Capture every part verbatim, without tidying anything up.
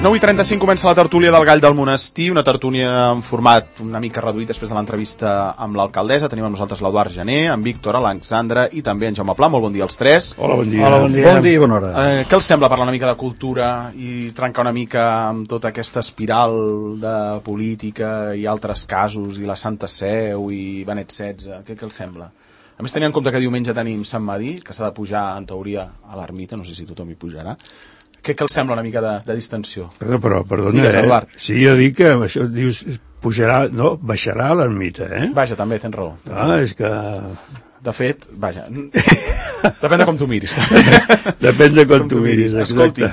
nou i trenta-cinc comença la tertúlia del Gall del Monestir, una tertúlia en format una mica reduït després de l'entrevista amb l'alcaldessa. Tenim amb nosaltres l'Eduard Gené, en Víctor Alexandre i també en Jaume Pla. Molt bon dia als tres. Hola, bon dia. Hola, bon dia. Bon dia i bona hora. Eh, què els sembla parlar una mica de cultura i trencar una mica amb tota aquesta espiral de política i altres casos, i la Santa Seu i Benet setze? Què, què els sembla? A més, tenint en compte que diumenge tenim Sant Madí, que s'ha de pujar, en teoria, a l'ermita, no sé si tothom hi pujarà. Què, què els sembla una mica de, de distensió? Però, però perdona, Digues, Eduard. eh? Sí, jo dic que això dius, pujarà, no, baixarà a l'ermita, eh? Vaja, també, tens raó. Tens Ah, raó. és que... De fet, vaja, depèn de com tu miris. Depèn de com tu miris, exacte. Escolti,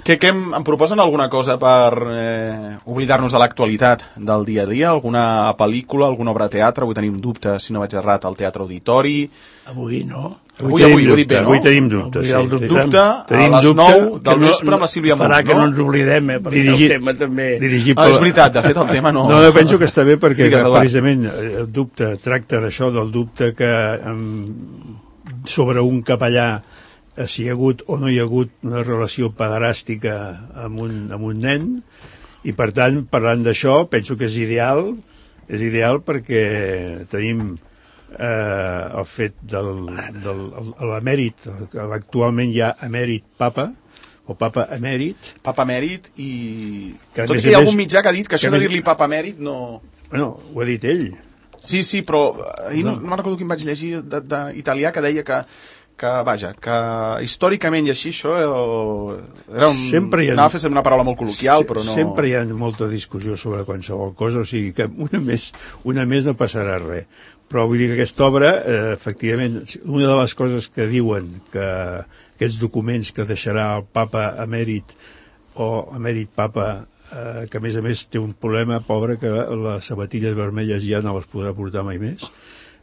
que, que em, em proposen alguna cosa per eh, oblidar-nos de l'actualitat del dia a dia? Alguna pel·lícula, alguna obra de teatre? Avui tenim dubte, si no vaig errat, al Teatre Auditori. Avui no. Avui, avui, ho he dit bé, no? Avui tenim dubte, Avui sí. el dubte. Dubte a Tenim les dubte nou del no- vespre amb la Sílvia farà Munt, que no no? ens oblidem, eh, perquè Dirigit- el tema també... Dirigit Ah, és veritat, de fet, el tema no... No, no, penso que està bé perquè Digues, Eduard. precisament el dubte tracta d'això, del dubte que um, sobre un capellà eh, si hi ha hagut o no hi ha hagut una relació pederàstica amb un, amb un nen, i per tant, parlant d'això, penso que és ideal, és ideal perquè tenim eh, el fet del, del el- l'emèrit, actualment hi ha emèrit papa, o papa emèrit. Papa Mèrit i... Que a Tot i més que hi a ha més- algun mitjà que ha dit que això que de més- dir-li Papa Mèrit no... Bueno, ho ha dit ell. Sí, sí, però ahir no, No. no me'n recordo quin vaig llegir d'italià que deia que, que, vaja, que històricament i així això eh, era un... Sempre hi ha- Anava a fer una paraula molt col·loquial, però no... Sempre hi ha molta discussió sobre qualsevol cosa, o sigui que una més, una més no passarà res. Però vull dir que aquesta obra, eh, efectivament, una de les coses que diuen que aquests documents que deixarà el papa emèrit o emèrit papa, eh, que a més a més té un problema, pobre, que les sabatilles vermelles ja no les podrà portar mai més.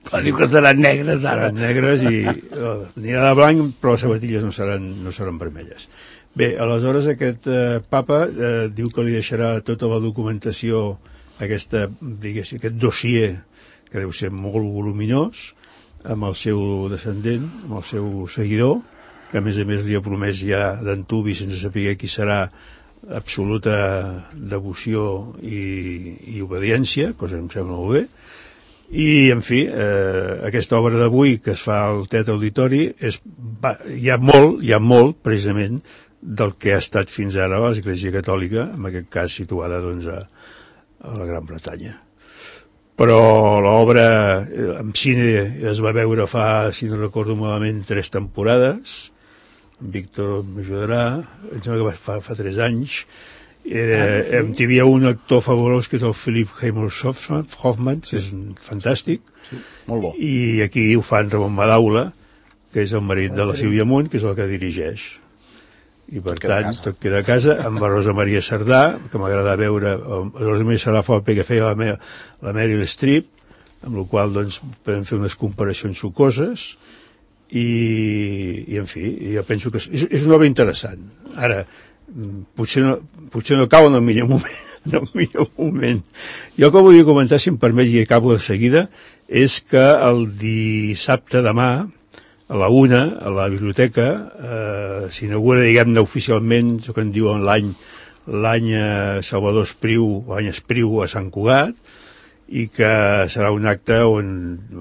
Però diu que seran negres ara. Seran negres i eh, anirà de blanc, però les sabatilles no seran, no seran vermelles. Bé, aleshores aquest eh, papa eh, diu que li deixarà tota la documentació, aquesta, diguéssim, aquest dossier, que deu ser molt voluminós, amb el seu descendent, amb el seu seguidor, que a més a més li ha promès ja d'antubi, sense saber qui serà, absoluta devoció i, i obediència, cosa que em sembla molt bé. I, en fi, eh, aquesta obra d'avui que es fa al Teatre Auditori és, va, hi ha molt, hi ha molt, precisament, del que ha estat fins ara l'Església Catòlica, en aquest cas situada, doncs, a, a la Gran Bretanya. Però l'obra eh, en cine es va veure fa, si no recordo malament, tres temporades. Víctor m'ajudarà, em sembla que va, fa, fa tres anys. Eh, ah, sí. Hi havia un actor fabulós que és el Philip Seymour Hoffman, que és fantàstic, Sí, molt bo. i aquí ho fa en Ramon Madaula, que és el marit de la Sílvia Munt, que és el que dirigeix. I per Tot queda a tant, casa. tot queda a casa, amb la Rosa Maria Sardà, que m'agrada veure, la Rosa Maria Sardà fa el paper que feia la, me, la Meryl Streep, amb la qual doncs, podem fer unes comparacions sucoses, i, i en fi, jo penso que és, és una obra interessant. Ara, potser no, potser no cau en el millor moment, en el millor moment. Jo el que volia comentar, si em permet, i acabo de seguida, és que el dissabte demà, a la una, a la biblioteca, eh, s'inaugura, diguem-ne, oficialment, el que en diuen l'any l'any eh, Salvador Espriu, l'any Espriu a Sant Cugat, i que serà un acte on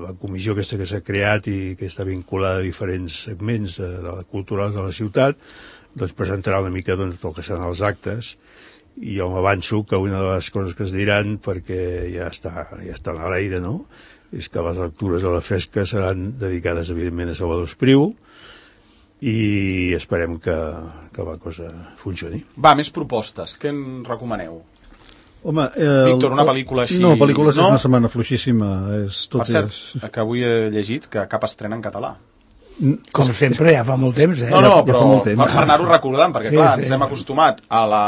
la comissió aquesta que s'ha creat i que està vinculada a diferents segments de, de la culturals de la ciutat, doncs presentarà una mica doncs, tot el que seran els actes, i jo m'avanço que una de les coses que es diran, perquè ja està, ja està a l'aire, no?, és que les lectures de la fresca seran dedicades, evidentment, a Salvador Espriu, i esperem que, que la cosa funcioni. Va, més propostes. Què en recomaneu? Home, eh, Víctor, una pel·lícula així... No, pel·lícules no? és una setmana fluixíssima. És, tot Per cert, és... que avui he llegit que cap estrena en català. Com sempre, ja fa molt temps, eh? No, no, ja però fa molt temps. per, per anar-ho recordant, perquè Sí, clar, sí. ens hem acostumat a la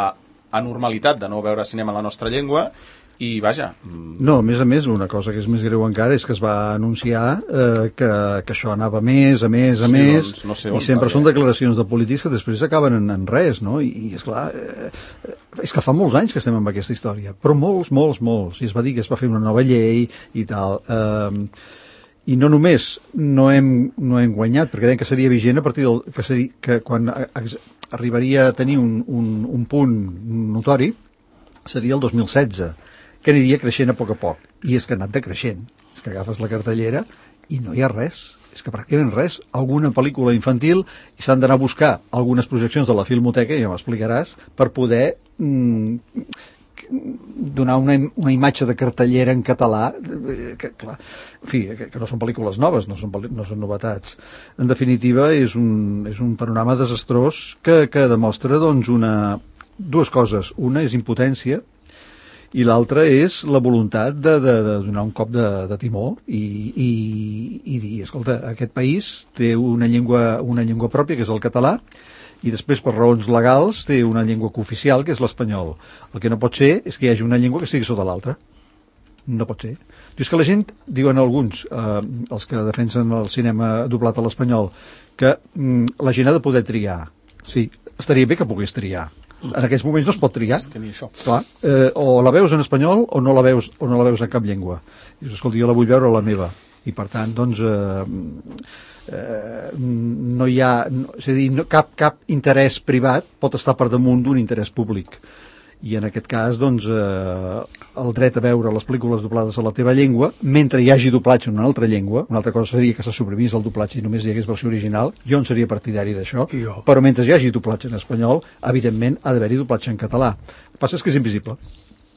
anormalitat de no veure cinema en la nostra llengua, i vaja... mm, No, a més a més, una cosa que és més greu encara és que es va anunciar eh, que, que això anava a més, a més, a Sí, més, doncs no sé on, i sempre perquè- són declaracions de polítics que després acaben en, en res, no? I, i esclar, eh, eh, és que fa molts anys que estem amb aquesta història, però molts, molts, molts, i es va dir que es va fer una nova llei i tal... Eh, i no només no hem, no hem guanyat, perquè deien que seria vigent a partir del... que, seria, que quan arribaria a tenir un, un, un punt notori seria el dos mil setze, que aniria creixent a poc a poc, i és que ha anat decreixent. És que agafes la cartellera i no hi ha res, és que pràcticament res, alguna pel·lícula infantil, i s'han d'anar a buscar algunes projeccions de la Filmoteca, ja m'explicaràs, per poder mm, donar una, una imatge de cartellera en català, que, clar, en fi, que, que no són pel·lícules noves, no són, no són novetats. En definitiva, és un, és un panorama desastrós que, que demostra doncs, una, dues coses. Una és impotència, i l'altra és la voluntat de, de, de donar un cop de, de timó i, i, i dir, escolta, aquest país té una llengua, una llengua pròpia, que és el català, i després, per raons legals, té una llengua cooficial, que és l'espanyol. El que no pot ser és que hi hagi una llengua que estigui sota l'altra. No pot ser. I és que la gent, diuen alguns, eh, els que defensen el cinema doblat a l'espanyol, que mm, la gent ha de poder triar. Sí, estaria bé que pogués triar. En aquests moments no es pot triar. És que ni això. Clar, eh, o la veus en espanyol o no la veus, o no la veus en cap llengua. I dius, escolta, jo la vull veure a la meva. I per tant, doncs... Eh, Eh, no hi ha, no, és a dir, no, cap, cap interès privat pot estar per damunt d'un interès públic, i en aquest cas doncs eh, el dret a veure les pel·lícules doblades a la teva llengua mentre hi hagi doblatge en una altra llengua. Una altra cosa seria que se suprimís el doblatge i només hi hagués versió original, jo en seria partidari d'això, però mentre hi hagi doblatge en espanyol, evidentment ha d'haver-hi doblatge en català. El que passa és que és invisible.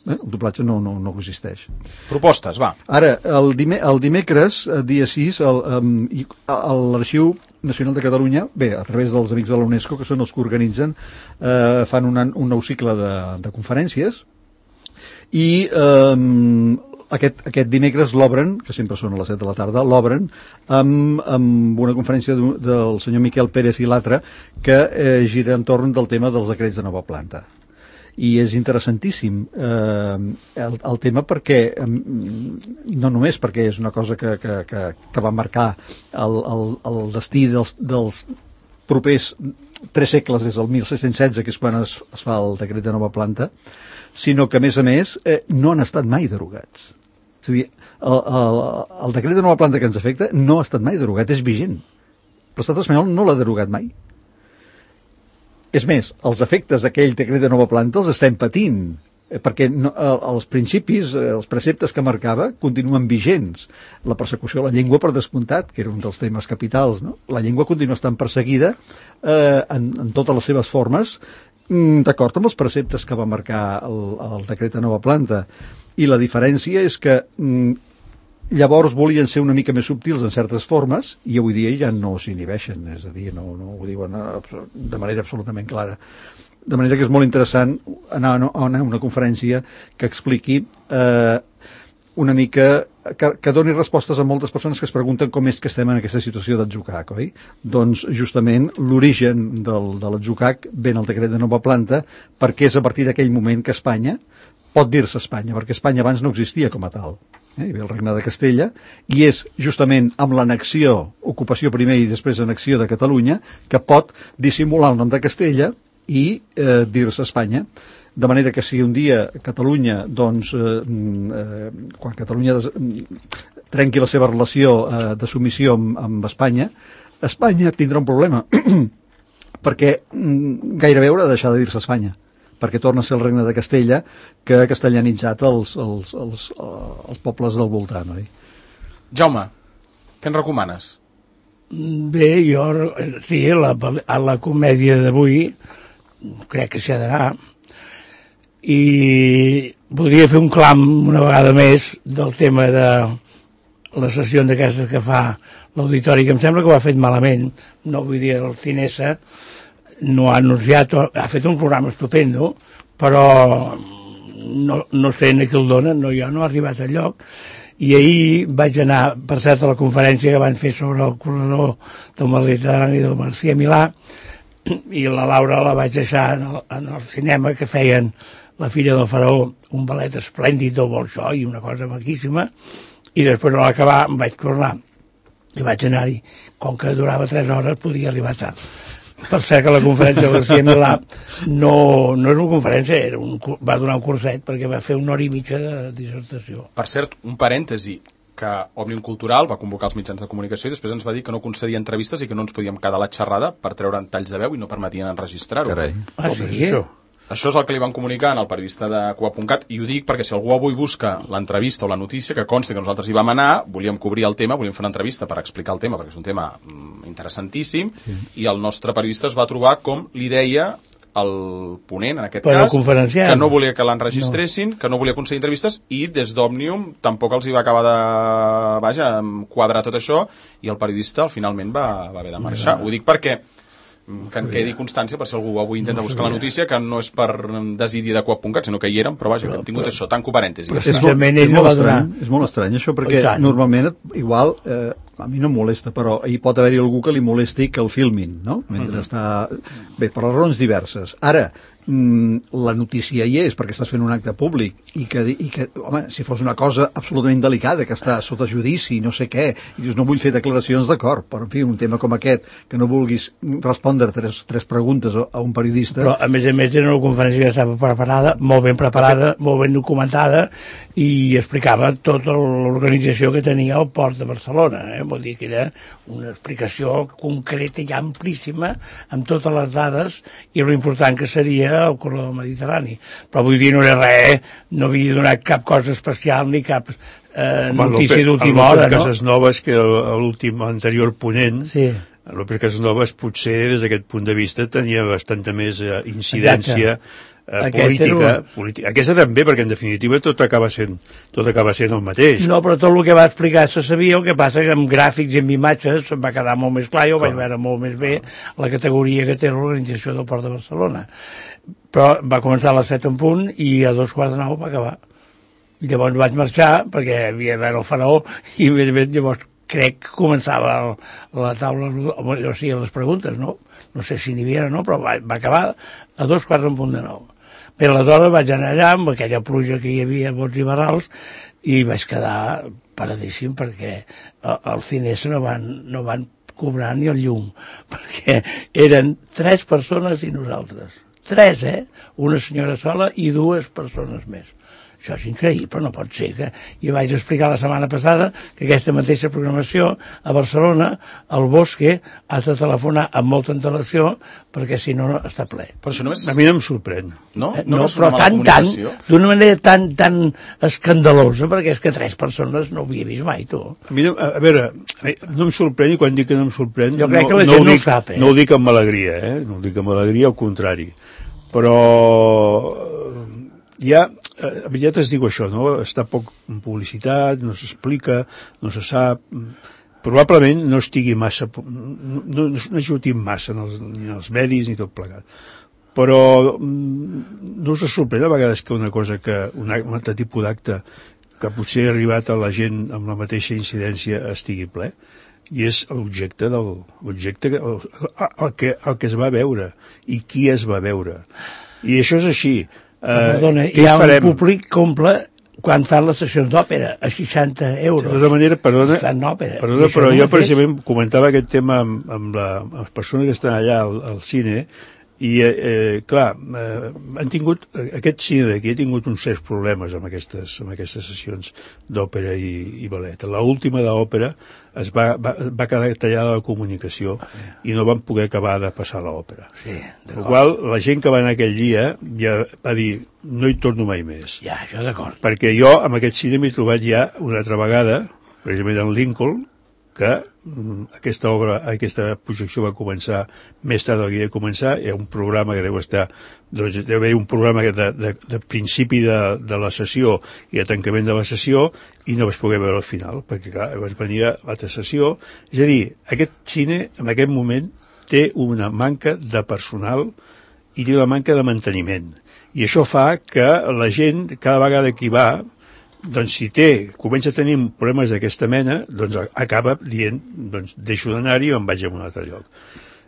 Eh? El doblatge no, no, no existeix. Propostes, va. Ara, el, dime, el dimecres, dia sis, l'Arxiu Nacional de Catalunya, bé, a través dels amics de la UNESCO, que són els que organitzen, eh, fan una, un nou cicle de, de conferències, i eh, aquest, aquest dimecres l'obren, que sempre són a les set de la tarda, l'obren amb, amb una conferència del senyor Miquel Pérez i l'altre, que eh, gira entorn del tema dels decrets de nova planta. I és interessantíssim eh, el, el tema perquè eh, no només perquè és una cosa que, que, que, que va marcar el, el, el destí dels, dels propers tres segles, des del mil set-cents setze, que és quan es, es fa el decret de nova planta, sinó que a més a més eh, no han estat mai derogats. És a dir, el, el, el decret de nova planta que ens afecta no ha estat mai derogat, és vigent, però l'estat espanyol no l'ha derogat mai. És més, els efectes d'aquell decret de nova planta els estem patint, perquè no, els principis, els preceptes que marcava continuen vigents. La persecució de la llengua, per descomptat, que era un dels temes capitals, no? La llengua continua estant perseguida eh, en, en totes les seves formes, d'acord amb els preceptes que va marcar el, el decret de nova planta. I la diferència és que llavors volien ser una mica més subtils en certes formes i avui dia ja no s'inhibeixen, és a dir, no, no ho diuen de manera absolutament clara. De manera que és molt interessant anar a una conferència que expliqui eh, una mica, que, que doni respostes a moltes persones que es pregunten com és que estem en aquesta situació d'atzucac, oi? Doncs justament l'origen del, de l'atzucac ve en el decret de nova planta, perquè és a partir d'aquell moment que Espanya pot dir-se Espanya, perquè Espanya abans no existia com a tal. Eh? Hi havia el regne de Castella, i és justament amb l'annexió, ocupació primer i després annexió de Catalunya, que pot dissimular el nom de Castella i eh, dir-se Espanya. De manera que si un dia Catalunya, doncs, eh, eh, quan Catalunya des, trenqui la seva relació eh, de submissió amb, amb Espanya, Espanya tindrà un problema, perquè mm, gairebé haurà de deixar de dir-se Espanya, perquè torna a ser el regne de Castella, que ha castellanitzat els, els, els, els pobles del voltant, oi? Jaume, què ens recomanes? Bé, jo, sí, la, a la comèdia d'avui crec que s'hi ha d'anar, i podria fer un clam una vegada més del tema de les sessions d'aquestes que fa l'auditori, que em sembla que ho ha fet malament, no vull dir el Cinesa, no ha anunciat, ha fet un programa estupendo, però no, no sé ni qui el dona, no, jo no he arribat al lloc, i ahir vaig anar, per cert, a la conferència que van fer sobre el corredor del Mediterrani del García Milà, i la Laura la vaig deixar en el, en el cinema, que feien La filla del faraó, un ballet esplèndid del Bolxoi, una cosa maquíssima, i després a l'acabar em vaig tornar i vaig anar-hi. Com que durava tres hores podia arribar tard. Per cert que la conferència de García Milà no, no és una conferència, era un, va donar un curset perquè va fer una hora i mitja de dissertació. Per cert, un parèntesi, que Òmnium Cultural va convocar els mitjans de comunicació i després ens va dir que no concedia entrevistes i que no ens podíem quedar a la xerrada per treure'n talls de veu i no permetien enregistrar-ho. Carai. Ah, Com sí? és això? Això és el que li van comunicar al periodista de Cuba punt cat, i ho dic perquè si algú avui busca l'entrevista o la notícia, que consti que nosaltres hi vam anar, volíem cobrir el tema, volíem fer una entrevista per explicar el tema, perquè és un tema mm, interessantíssim, sí. I el nostre periodista es va trobar com li deia el ponent, en aquest Però cas, conferenciant. que no volia que l'enregistressin, no. que no volia aconseguir entrevistes, i des d'Òmnium tampoc els hi va acabar de, vaja, quadrar tot això, i el periodista finalment va, va haver de marxar. No. Ho dic perquè que en quedi constància per si algú avui intenta no buscar la notícia, que no és per desidi de Cuba punt cat, sinó que hi érem, però vaja, que hem tingut però, això, tanco parèntesi. És, és, molt, és, molt estrany, és molt estrany això, perquè normalment igual, eh, a mi no em molesta, però hi pot haver-hi algú que li molesti que el filmin, no? Mentre mm-hmm. està... Bé, per les raons diverses. Ara, la notícia hi és perquè estàs fent un acte públic i que, i que, home, si fos una cosa absolutament delicada, que està sota judici, no sé què, i dius, no vull fer declaracions, d'acord, però en fi, un tema com aquest, que no vulguis respondre tres, tres preguntes a un periodista... Però, a més a més, era una conferència que estava preparada, molt ben preparada, molt ben documentada, i explicava tota l'organització que tenia el Port de Barcelona, eh? Vol dir que era una explicació concreta i amplíssima, amb totes les dades, i lo important que seria el corredor mediterrani, però vull dir no era res, no havia donat cap cosa especial ni cap eh, notícia d'última hora, no? Cases Noves, que era l'últim anterior ponent, sí. López Casasnovas potser des d'aquest punt de vista tenia bastanta més eh, incidència eh, política, un... política. Aquesta també, perquè en definitiva tot acaba sent tot acaba sent el mateix. No, però tot el que va explicar se sabia, el que passa que amb gràfics i amb imatges va quedar molt més clar i ho vaig veure molt més bé la categoria que té l'organització del Port de Barcelona. Però va començar a les set en punt i a dos quarts de nou va acabar. I llavors vaig marxar perquè havia de veure el faraó i llavors crec que començava el, la taula, o sigui, les preguntes, no? No sé si n'hi havia o no, però va, va acabar a dos quarts en punt de nou. Bé, aleshores vaig anar allà amb aquella pluja que hi havia, bots i barrals, i vaig quedar paradíssim perquè els ciners no van, no van cobrar ni el llum, perquè eren tres persones i nosaltres. Tres, eh? Una senyora sola i dues persones més. Això és increïble, no pot ser que... Jo vaig explicar la setmana passada que aquesta mateixa programació a Barcelona, al Bosque, has de telefonar amb molta antelació perquè si no està ple. Però això no és... A mi no em sorprèn. No? Eh, no, no però tan, tan, d'una manera tan, tan escandalosa, perquè és que tres persones no ho havia vist mai, tu. A mi, no, a, a veure, no em sorprèn, i quan dic que no em sorprèn... Jo crec no, que la no gent no dic, ho sap, eh? No ho dic amb alegria, eh? No ho dic amb alegria, al contrari. Però... Ja, a veritat es diu això, no? Està poc en publicitat, no s'explica, no se sap... Probablement no estigui massa... No, no, no ajuti massa en els, ni en els medis ni tot plegat. Però no us sorprèn a vegades que una cosa que... Un, un altre tipus d'acte que potser ha arribat a la gent amb la mateixa incidència estigui ple? I és l'objecte del... L'objecte que, el, el, que, el que es va veure i qui es va veure. I això és així. Uh, Perdona, hi ha farem? Un públic que omple quan fan les sessions d'òpera a seixanta euros. De tota manera, perdona, òpera, perdona però jo precisament comentava aquest tema amb, amb, la, amb les persones que estan allà al, al cine i, eh, clar, eh, han tingut, aquest cine d'aquí ha tingut uns certs problemes amb aquestes, amb aquestes sessions d'òpera i, i ballet. L'última d'òpera es va, va, va quedar tallada la comunicació i no van poder acabar de passar l'òpera. Sí, per la qual la gent que va anar aquell dia ja va dir, no hi torno mai més. Ja, això d'acord. Perquè jo amb aquest cine m'he trobat ja una altra vegada, precisament en Lincoln, que aquesta obra, aquesta projecció va començar més tard del que havia de començar, hi ha un programa que deu estar, doncs deu haver un programa de, de, de principi de, de la sessió i de tancament de la sessió, i no vaig poder veure al final, perquè clar, vaig venir a l'altra sessió. És a dir, aquest cine en aquest moment té una manca de personal i té una manca de manteniment, i això fa que la gent cada vegada que hi va, doncs si té, comença a tenir problemes d'aquesta mena, doncs acaba dient, doncs deixo d'anar-hi i em vaig a un altre lloc.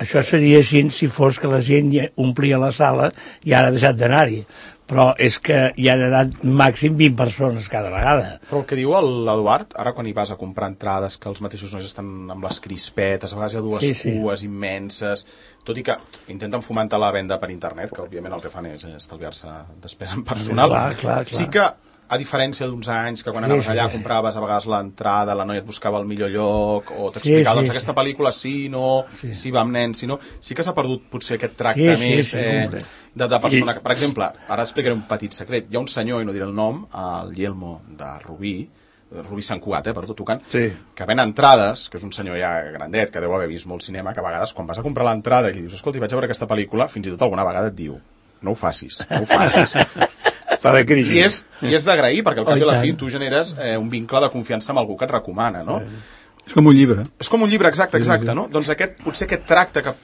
Això seria així si fos que la gent ja omplia la sala i ara ha deixat d'anar-hi. Però és que hi han anat màxim vint persones cada vegada. Però el que diu l'Eduard, ara quan hi vas a comprar entrades, que els mateixos nois estan amb les crispetes, a vegades hi ha dues sí, sí. cues immenses, tot i que intenten fomentar la venda per internet, que òbviament el que fan és estalviar-se despesa en personal. Clar, clar, clar. Sí que a diferència d'uns anys que quan Sí, anaves sí, allà sí. compraves a vegades l'entrada, la noia et buscava el millor lloc o t'explicava, Sí, sí, doncs sí. aquesta pel·lícula sí, no, Sí. sí va amb nens, sí, no. Sí que s'ha perdut potser aquest tracte Sí, sí, més sí, eh, complet. de, de persona. I... Per exemple, ara explicaré un petit secret. Hi ha un senyor, i no diré el nom, el Yelmo de Rubí, Rubí Sant Cugat, eh, per tot tocant, Sí. que ven entrades, que és un senyor ja grandet, que deu haver vist molt cinema, que a vegades quan vas a comprar l'entrada i li dius, escolta, vaig a veure aquesta pel·lícula, fins i tot alguna vegada et diu, no ho facis, no ho facis. Fa de crisi. I és, i és d'agrair, perquè al cap Oh, i a la i fi tant. tu generes eh, un vincle de confiança amb algú que et recomana, no? És com un llibre. És com un llibre, exacte, exacte, no? Doncs aquest, potser aquest tracte que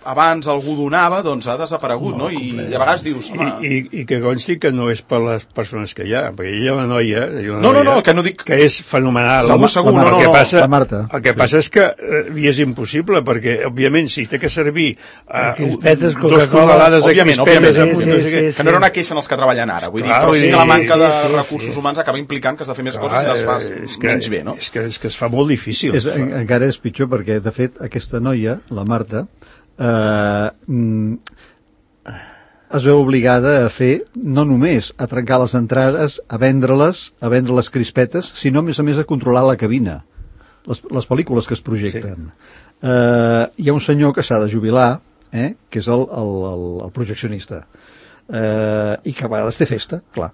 abans algú donava, doncs ha desaparegut, no? I, I a vegades dius, I, home... i, I que consti que no és per les persones que hi ha, perquè hi ha una noia, hi ha una No, no, noia no, que no dic- que és fenomenal. Segur, La- segur, la- no, el no, que no, passa, la Marta. El que passa és que eh, li és impossible, perquè, òbviament, si té que servir uh, Crispetes, dos Coca-Cola. tonelades de Òbviament, crispetes... òbviament. amb Sí, no sí, sé què, sí, Que no era una queixa en els que treballen ara, vull dir, Clar, però sí vull que la dir, manca sí, de sí, sí, recursos sí. humans acaba implicant que has de fer més clar, coses i les fas és que, menys bé, no? És que, és que es fa molt difícil. És, en, encara és pitjor perquè, de fet, aquesta noia, la Marta, eh, mm, es veu obligada a fer, no només a trencar les entrades, a vendre-les, a vendre les crispetes, sinó, a més a més, a controlar la cabina, les, les pel·lícules que es projecten. Sí. Eh, hi ha un senyor que s'ha de jubilar, eh, que és el, el, el, el projeccionista, eh, i que a vegades té festa, clar.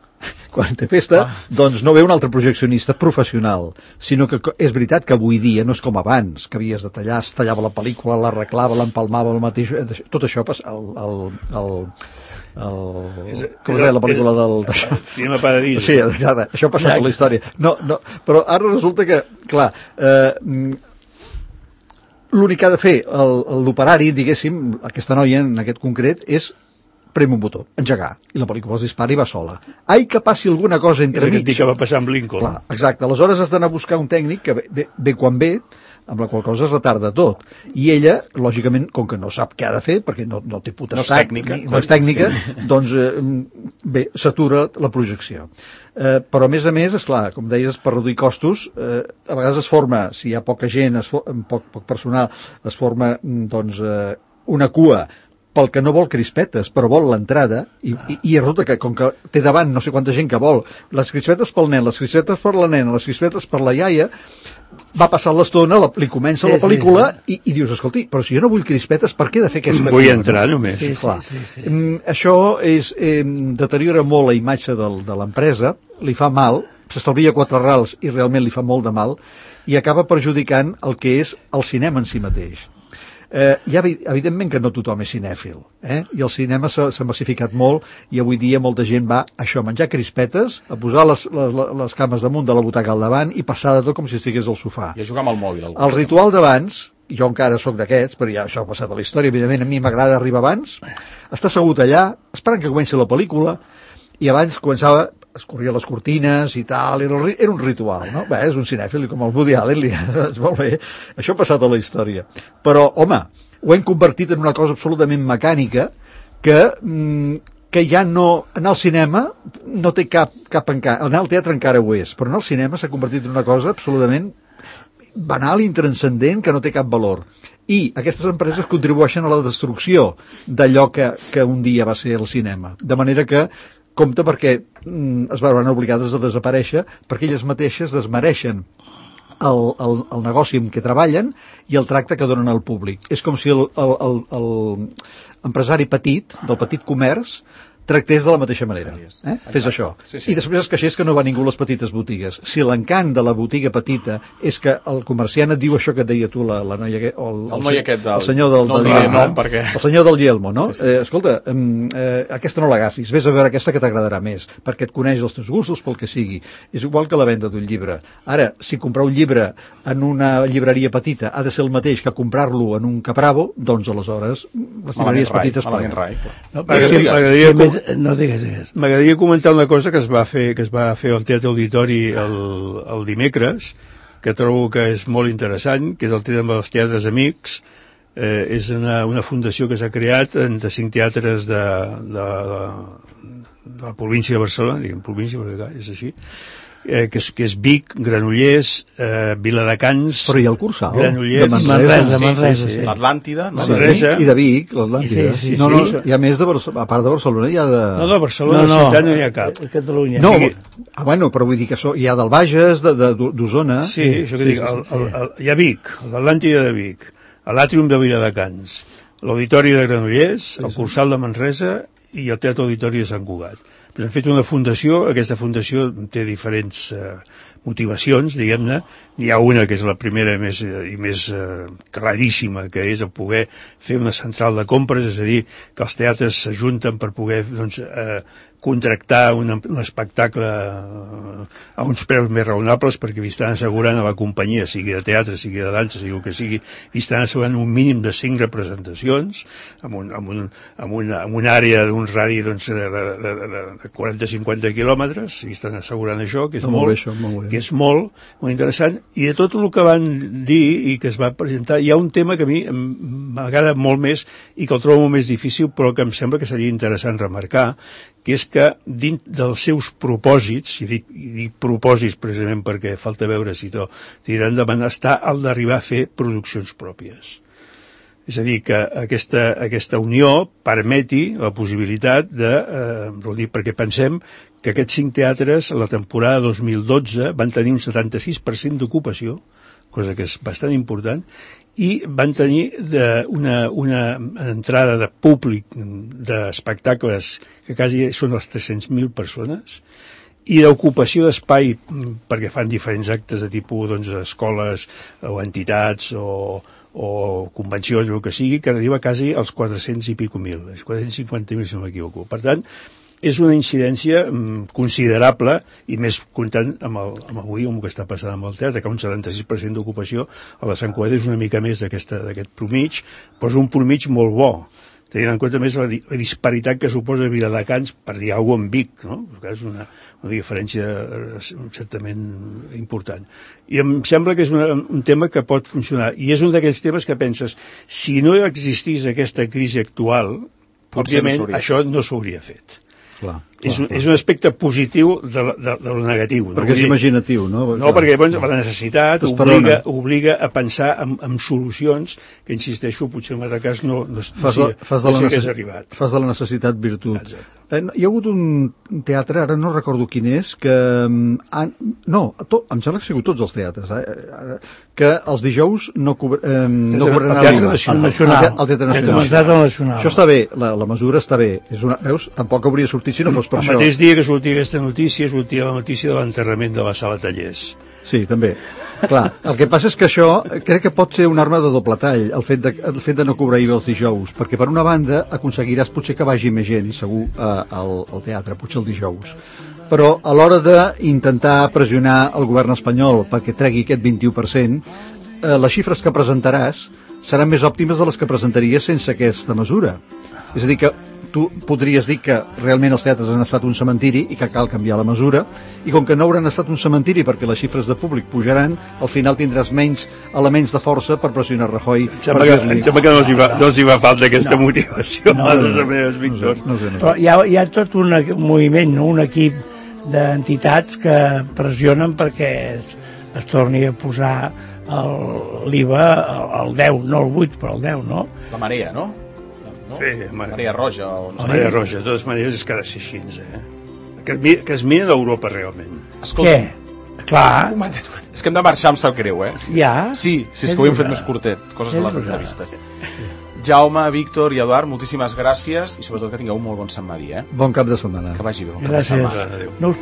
Quan té festa, ah. doncs no ve un altre projeccionista professional, sinó que co- és veritat que avui dia no és com abans, que havies de tallar, es tallava la pel·lícula, l'arreglava, l'empalmava, el mateix, eh, tot això passa, el, el, el, el, És- com és- es deia la pel·lícula és- del... Cinema Paradís. Sí, ara, això ha passat a la història. No, no, però ara resulta que, clar, eh, mm, l'únic que ha de fer el- l'operari, diguéssim, aquesta noia en aquest concret, és prem un botó, engegar, i la pel·lícula es dispara i va sola. Ai, que passi alguna cosa És entremig. aquest que va passar amb Lincoln. Clar, exacte, aleshores has d'anar a buscar un tècnic que ve, ve, ve quan ve, amb la qual cosa es retarda tot. I ella, lògicament, com que no sap què ha de fer, perquè no, no té potestat, No és tècnica, ni, no és tècnica, doncs eh, bé, s'atura la projecció. Eh, però a més a més, esclar, com deies, per reduir costos, eh, a vegades es forma, si hi ha poca gent, es for, poc, poc personal, es forma mm, doncs, eh, una cua pel que no vol crispetes, però vol l'entrada, i, i, i resulta que, com que té davant no sé quanta gent que vol, les crispetes pel nen, les crispetes per la nena, les crispetes per la iaia, va passar l'estona, la, li comença Sí, la pel·lícula, sí, i, i dius, escolti, però si jo no vull crispetes, per què he de fer aquesta Vull cua, entrar no? només. Sí, Clar. sí, sí. Mm, això és, eh, deteriora molt la imatge del, de l'empresa, li fa mal, s'estalvia quatre rals i realment li fa molt de mal, i acaba perjudicant el que és el cinema en si mateix. Eh, ja, evidentment que no tothom és cinèfil, eh? I el cinema s'ha s'ha massificat molt i avui dia molta gent va a això, a menjar crispetes, a posar les, les, les cames damunt de la butaca al davant i passar de tot com si estigués al sofà. I a jugar amb el mòbil. Algú. El ritual d'abans, jo encara sóc d'aquests, però ja això ha passat a la història, evidentment a mi m'agrada arribar abans, estar assegut allà, esperant que comenci la pel·lícula, i abans començava, es corria les cortines i tal, era, un- era un ritual, no? Bé, és un cinèfil, i com el Woody Allen, li, doncs molt bé, això ha passat a la història. Però, home, ho hem convertit en una cosa absolutament mecànica que, mm, que ja no... Anar al cinema no té cap, cap encara... Anar al teatre encara ho és, però anar al cinema s'ha convertit en una cosa absolutament banal, intranscendent, que no té cap valor. I aquestes empreses contribueixen a la destrucció d'allò que, que un dia va ser el cinema. De manera que compte perquè mm, es veuran obligades a desaparèixer perquè elles mateixes desmereixen el, el, el negoci en què treballen i el tracte que donen al públic. És com si el, el, el, el empresari petit, del petit comerç, tractés de la mateixa manera. Eh? Fes això. Sí, sí. I després es queixés que no va ningú a les petites botigues. Si l'encant de la botiga petita és que el comerciant et diu això que et deia tu, la, la noia... Que, o el, El noi aquest del- el senyor del, no el del, diré del, nom, perquè- el senyor del Yelmo, no? Sí, sí. Eh, escolta, eh, eh, aquesta no l'agafis, vés a veure aquesta que t'agradarà més, perquè et coneix els teus gustos pel que sigui. És igual que la venda d'un llibre. Ara, si comprar un llibre en una llibreria petita ha de ser el mateix que comprar-lo en un capravo, doncs aleshores les llibreries rai, petites malament paguen. rai. No, M'agradaria- perquè- m'agradaria sí, com- més- no digues, digues. M'agradaria comentar una cosa que es va fer que es va fer al Teatre Auditori el, el dimecres, que trobo que és molt interessant, que és el tema dels teatres amics. Eh, és una, una fundació que s'ha creat entre cinc teatres de, de, de, de la província de Barcelona, diguem província perquè clar, és així, eh, que, és, que és Vic, Granollers, eh, Viladecans... Però hi ha el Cursal, Granollers, de Manresa. Manresa, Sí, Manresa, sí, sí. l'Atlàntida, no? Sí, Manresa. i de Vic, l'Atlàntida. Sí, sí, no, no, sí. hi ha més de Barcelona, a part de Barcelona hi ha de... No, de Barcelona, No, no, ciutat no hi ha cap. Catalunya. No, sigui- ah, bueno, però vull dir que so, hi ha del Bages, de- de- d'Osona... Sí, això que dic, el, el, el, hi ha Vic, l'Atlàntida de Vic, l'Àtrium de Viladecans, l'Auditori de Granollers, el Cursal de Manresa i el Teatre Auditori de Sant Cugat. Pues hem fet una fundació, aquesta fundació té diferents eh, motivacions, diguem-ne. Hi ha una que és la primera més, eh, i més eh, claríssima, que és el poder fer una central de compres, és a dir, que els teatres s'ajunten per poder doncs, eh, contractar un, un espectacle a uns preus més raonables, perquè li estan assegurant a la companyia, sigui de teatre, sigui de dansa, sigui el que sigui, li estan assegurant un mínim de cinc representacions amb, un, amb, un, amb, una, amb una àrea d'un radi doncs, de, de, de, de quaranta a cinquanta quilòmetres, i estan assegurant això, que és No, molt molt, bé, això, molt bé. que és molt, molt interessant, i de tot el que van dir i que es va presentar, hi ha un tema que a mi m'agrada molt més i que el trobo molt més difícil, però que em sembla que seria interessant remarcar, que és que dins dels seus propòsits, i dic, i dic propòsits precisament perquè falta veure si to tiraran endavant, està el d'arribar a fer produccions pròpies. És a dir, que aquesta, aquesta unió permeti la possibilitat de eh, reunir, perquè pensem que aquests cinc teatres a la temporada dos mil dotze van tenir un setanta-sis per cent d'ocupació, cosa que és bastant important, i van tenir de una, una entrada de públic d'espectacles que quasi són les tres-cents mil persones, i d'ocupació d'espai perquè fan diferents actes de tipus doncs, escoles o entitats o, o convencions o el que sigui, que arriba quasi als quatre-cents i pico mil, quatre-cents cinquanta mil si no m'equivoco. Per tant, és una incidència mm, considerable, i més comptant amb, el, amb avui amb el que està passant amb el teatre, que un setanta-sis per cent d'ocupació a la Sant Cugat és una mica més d'aquest promig, però és un promig molt bo, tenint en compte més la, la disparitat que suposa Viladecans, per dir alguna cosa, en Vic, no? És una, una diferència certament important. I em sembla que és una, un tema que pot funcionar, i és un d'aquells temes que penses, si no existís aquesta crisi actual, òbviament no això no s'hauria fet. Clar, és, clar, un, clar. és un aspecte positiu de, de, de lo negatiu. Perquè no? és imaginatiu, no? No, perquè doncs, la necessitat T'esperona. obliga, obliga a pensar en, en solucions que, insisteixo, potser en altre cas no, no, Fas de, no, fas de, no la, s'hi hagués necess... arribat. fas de la necessitat virtut. Exacte. Eh, hi ha hagut un teatre, ara no recordo quin és, que... Han... No, to... em sembla que ha sigut tots els teatres, eh? que els dijous no, cobr... eh, no cobraran el Teatre l'I V A. Nacional. El Nacional. El, te... el Teatre Nacional. Començat al Nacional. Això està bé, la, la mesura està bé. És una... Veus? Tampoc hauria sortit si no fos per El això. mateix dia que sortia aquesta notícia, sortia la notícia de l'enterrament de la sala Tallers. Sí, també. Clar, el que passa és que això crec que pot ser una arma de doble tall, el fet de, el fet de no cobrar I V A els dijous, perquè per una banda aconseguiràs potser que vagi més gent, segur, eh, al, al teatre, potser el dijous. Però a l'hora d'intentar pressionar el govern espanyol perquè tregui aquest vint-i-u per cent, eh, les xifres que presentaràs seran més òptimes de les que presentaries sense aquesta mesura. És a dir, que tu podries dir que realment els teatres han estat un cementiri i que cal canviar la mesura, i com que no hauran estat un cementiri perquè les xifres de públic pujaran, al final tindràs menys elements de força per pressionar Rajoy. Em sembla que, em sembla que no els hi va, no els hi va falta aquesta no. motivació No, a no, les no. meves, Víctor. No sé, no sé. Però hi ha, hi ha tot un, un moviment, no? Un equip d'entitats que pressionen perquè es, es torni a posar l'I V A al deu, no al vuit, però al deu, no? La marea, no? no? Sí, mare. Marea Roja. O no La Marea Roja, de totes maneres, és que ha de ser així, eh? Que, es mi- que es mira d'Europa, realment. Escolta, Què? Clar, un momentet, un momentet. És que hem de marxar, em sap greu, eh? ja. Sí, sí, és que ho hem fet més curtet, coses de les És entrevistes. Jaume, Víctor i Eduard, moltíssimes gràcies i sobretot que tingueu un molt bon setmana, eh? Bon cap de setmana. Que vagi bé, bon cap de Gràcies. setmana. Adéu. No us...